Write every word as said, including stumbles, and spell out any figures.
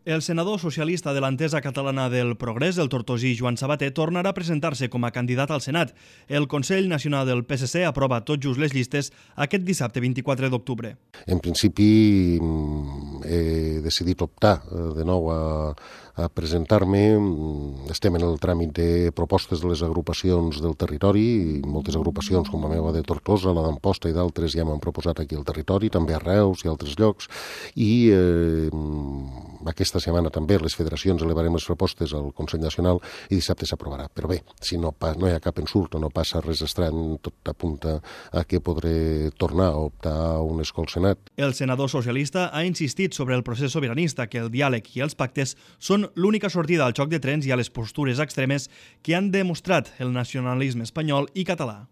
El senador socialista de l'Entesa Catalana del Progrés, el tortosí Joan Sabater, tornarà a presentar-se com a candidat al Senat. El Consell Nacional del P S C aprova tot just les llistes aquest dissabte vint-i-quatre d'octubre. En principi he decidit optar de nou a, a presentar-me. Estem en el tràmit de propostes de les agrupacions del territori. Moltes agrupacions com la meva de Tortosa, la d'Amposta i d'altres ja m'han proposat aquí al territori, també a Reus i altres llocs. I eh, aquesta setmana també les federacions elevarem les propostes al Consell Nacional i dissabte s'aprovarà. Però bé, si no, no hi ha cap ensurt o no passa res estrany, tot apunta a que podré tornar a optar a un escó al Senat. El senador socialista ha insistit sobre el procés sobiranista, que el diàleg i els pactes són l'única sortida al xoc de trens i a les postures extremes que han demostrat el nacionalisme espanyol i català.